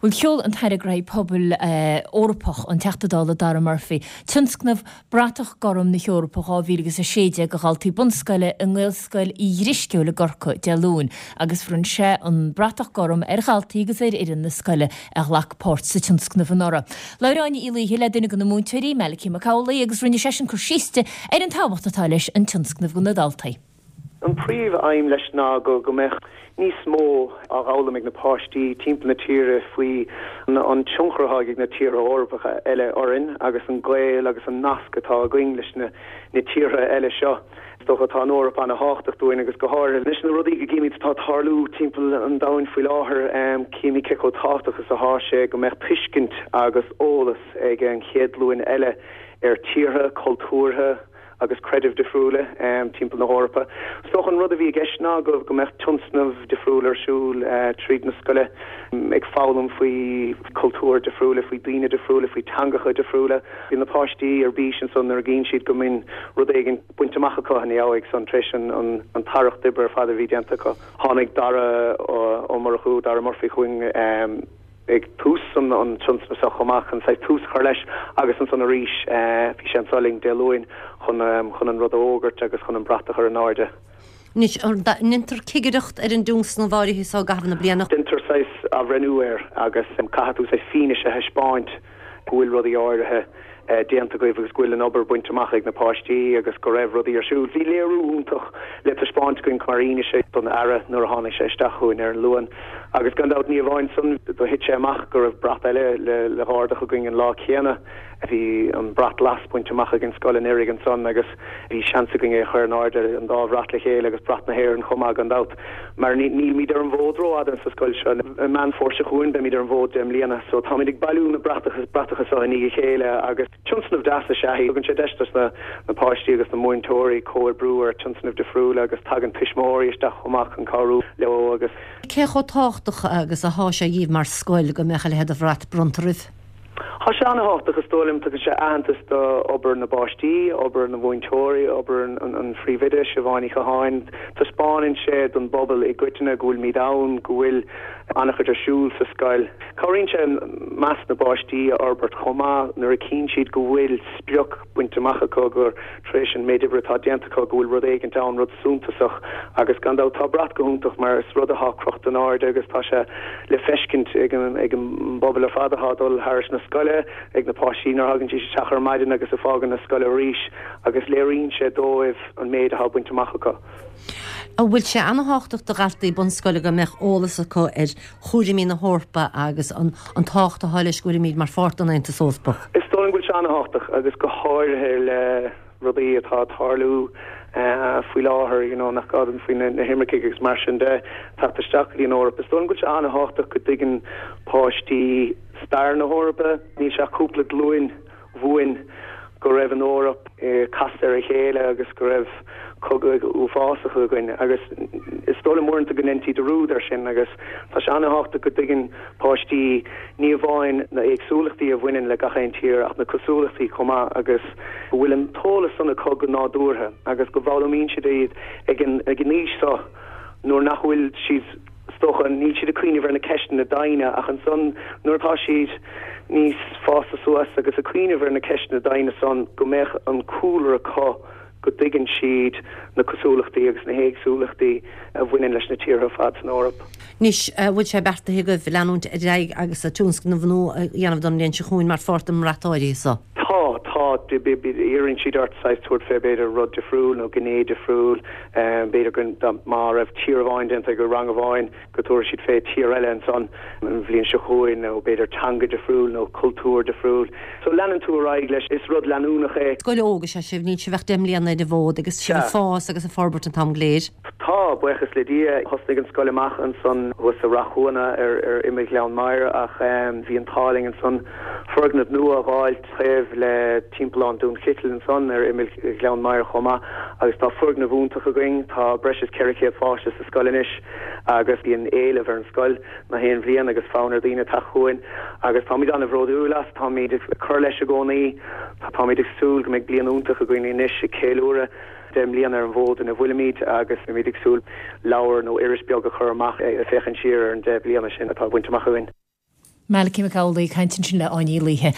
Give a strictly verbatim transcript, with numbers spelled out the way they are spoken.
Bhuel sheol an tAire Gnóthaí Pobail Eorpach an Teachta Dála Dara Murphy, tionscnamh Bratach Gorm na hEorpa dhá mhíle agus a sé déag do dhaltaí bunscoile i nGaelscoil Uí Dhrisceoil i gCorcaigh Dé Luain agus bhronn sé an bratach gorm ar dhaltaí agus ar fhoireann na scoile a ghlac páirt sa tionscnamh anuraidh. Labhair Áine Uí Laoithe le duine de na múinteoirí, Malachy Mac Amhlaigh, agus rinne seisean cur síos di ar an tábhacht atá leis an tionscnamh do na daltaí. An príomh-aidhm leis ná go go mbeadh níos mó á fhoghlaim ag na páistí timpeall na tíre faoi an tionchar atá ag na tíortha Eorpacha eile orainn agus an gaol agus an nasc atá againn leis na na tíortha eile seo. Is dócha tá an Eoraip an-tábhachtach dúinn agus go háirithe leis na rudaí go gcímid atá ag tarlú timpeall an domhain faoi láthair, címid cé chomh tábhachtach is atá sé go mbeadh tuiscint agus eolas ag an chéad ghlúin eile ar tíortha, cultúrtha agus creidimh difriúla timpeall na hEorpa. Is dócha an rud a bhí i gceist ná go go mbeadh tionscnamh difriúil ar siúl tríd na scoile ag foghlaim faoi cultúir difriúla, faoi daoine difriúla, faoi teangacha difriúla. Bíonn na páistí ar bís ansan nuair a gcíonn siad go mbíonn rud éigin bainte amach acu ina dhiaidh san tar éis an an t-earrach d'oibre ar fad a bhí déanta acu. Tháinig Dara Ó Murchú, Dara Murphy chugainn ag tús an an tionscnamh seo chomh maith chun saghas tús a chur leis agus ansan arís bhí sé anso linn Dé Luain chun chun an rud a fhógairt agus chun an brat a chur in airde. Anois, an ndéantar cigireacht ar an dtionscnamh áirithe seo i gcaitheamh na bliana? Déantar saghas athbhreithniú air agus caithfidh tú saghas fianaise a thaispeáint go bhfuil rudaí áirithe déanta agaibh agus go bhfuil an obair bainte amach ag na páistí agus go raibh rudaí ar siúl. Bhí léiriú iontach le taispeáint againn mar fhianaise don Aire nuair a tháinig sé isteach chugainn ar an Luan. Agus gan dabht ní amháin san, do thit sé amach go raibh brat eile le hardú againn an lá céanna. Bhí an brat glas bainte amach ag an scoil anuraidh ansan agus bhí seans againn é a chur in airde, an dá bhrat le chéile agus brat na hÉireann chomh maith gan dabht. Mar nílimid ar an bhfód rófhada sa scoil seo. I Meán Fómhair seo chugainn beimid ar an bhfód deich mbliana. So táimid ag bailiú na bratacha bratacha seo i ndiaidh a chéile agus tionscnamh deas is ea é. Tugann sé deis dos na na páistí agus na múinteoirí comhoibriú ar tionscnaimh difriúla agus tagann tuismitheoirí isteach chomh maith chun cabhrú leo agus. Cé chomh tábhachtach agus atá sé dhíbh mar scoil go mbeadh a leithéid de bhrat bronnta oraibh? Tá sé an-tábhachtach, is dóigh liom. Tugann sé aitheantas d'obair na bpáistí, obair na mhúinteoirí, obair an phríomhoide, Siobhán Ní Chatháin. Taispeánann sé don bpobal i gcoitinne go bhfuilimid ann, go bhfuil an-chuid ar siúl sa scoil. Cabhraíonn sé meas na bpáistí a fhorbairt chomh maith nuair a chíonn siad go bhfuil sprioc bainte amach acu, gur tar éis an méid oibre atá déanta acu, go bhfuil rud éigint ann, rud suntasach. Agus gan dabht tá brat go hiontach mar is rud atá crochta in airde agus tá sé le feiscint ag an ag an bpobal ar fad atá ag dul thairis na scoile, ag na páistí nuair a thagann siad isteach ar maidin agus ag fágaint na scoile arís agus léiríonn sé dóibh an méid atá bainte amach acu. An bhfuil sé an-tábhachtach do dhaltaí bunscoile go mbeadh eolas acu ar chúraimí na hEorpa agus an an tábhacht atá leis go bhfuilimid mar pháirt den Aontas Eorpach? Is dóigh liom go bhfuil sé an-tábhachtach agus go háirithe le rudaí atá ag tarlú faoi láthair, you know, nach gá dom faoi na himircigh agus mar sin de, teacht isteach go dtí an Eoraip. Is dóigh liom go bhfuil sé an-tábhachtach go dtuigeann páistí stair na hEorpa. Níl sé ach cúpla glúin uainn go raibh an Eoraip casta ar a chéile agus go raibh cogadh uafásach againn agus is dóigh liom uaireanta go ndéantaí dearúd air sin agus tá sé an-tábhachtach go dtuigeann páistí ní amháin na éagsúlachtaí a bhaineann le gach aon tír ach na cosúlachtaí chomh maith agus go bhfuil an t-eolas san acu go nádúrtha agus go bhfoghlaimíonn siad iad ag an ag an aois seo nuair nach bhfuil siad Is dócha, níl siad ag cuimhneamh ar na ceisteanna doimhne ach ansan nuair atá siad níos fásta suas agus ag cuimhneamh ar na ceisteanna doimhne san go mbeadh an cúlra acu go dtuigeann siad na cosúlachtaí agus na héagsúlachtaí a bhaineann leis na tíortha ar fad san Eoraip. Anois, an bhfuil sé beartaithe agaibh leanúint ar aghaidh agus tionscnamh nua a dhéanamh don bhliain seo chugainn mar pháirt den mbrat áirithe so? Tá, tá. Iarrann siad ort saghas tabhairt fé b'fhéidir rud difriúil nó gné difriúil. B'fhéidir go má raibh tír amháin déanta ag rang amháin go dtabharfaidh siad fé tír eile ansan an bhliain seo chugainn nó b'fhéidir teanga difriúil nó cultúr difriúil. So leanann tú ar aghaidh leis, is rud leanúnach é. Scoil óg is ea sibh, níl sibh ach deich mbliana ar an bhfód agus sibh ag fás agus ag forbairt an t-am go léir. Tá, buíochas le Dia. Thosnaigh an scoil amach ansan thuas sa Rath Chuanna ar ar imeall Ghleann Maghair ach bhí an t-ádh linn ansan foirgneamh nua a dh'fháilt taobh le Timpeallán Dún Chitil ansan ar imeall Ghleann Maghair chomh maith agus tá foirgneamh iontach againn. Tá breis is ceithre chéad pháiste sa scoil anois agus bíonn éileamh ar an scoil na haon bhliain agus fonn ar dhaoine teacht chugainn agus táimid an-bhródúil as. Táimid ag cur leis i gcónaí. Táimid ag súil go mbeidh bliain iontach againn anois ag ceiliúradh deich mbliana ar an bhfód ina bhfuilimid agus beimid ag súil leabhar nó iris beag a chur amach ag féachaint siar ar an deich bliana sin atá bainte amach againn. Malachy Mac Amhlaigh ag caint ansin le Áine Ní Laoithe.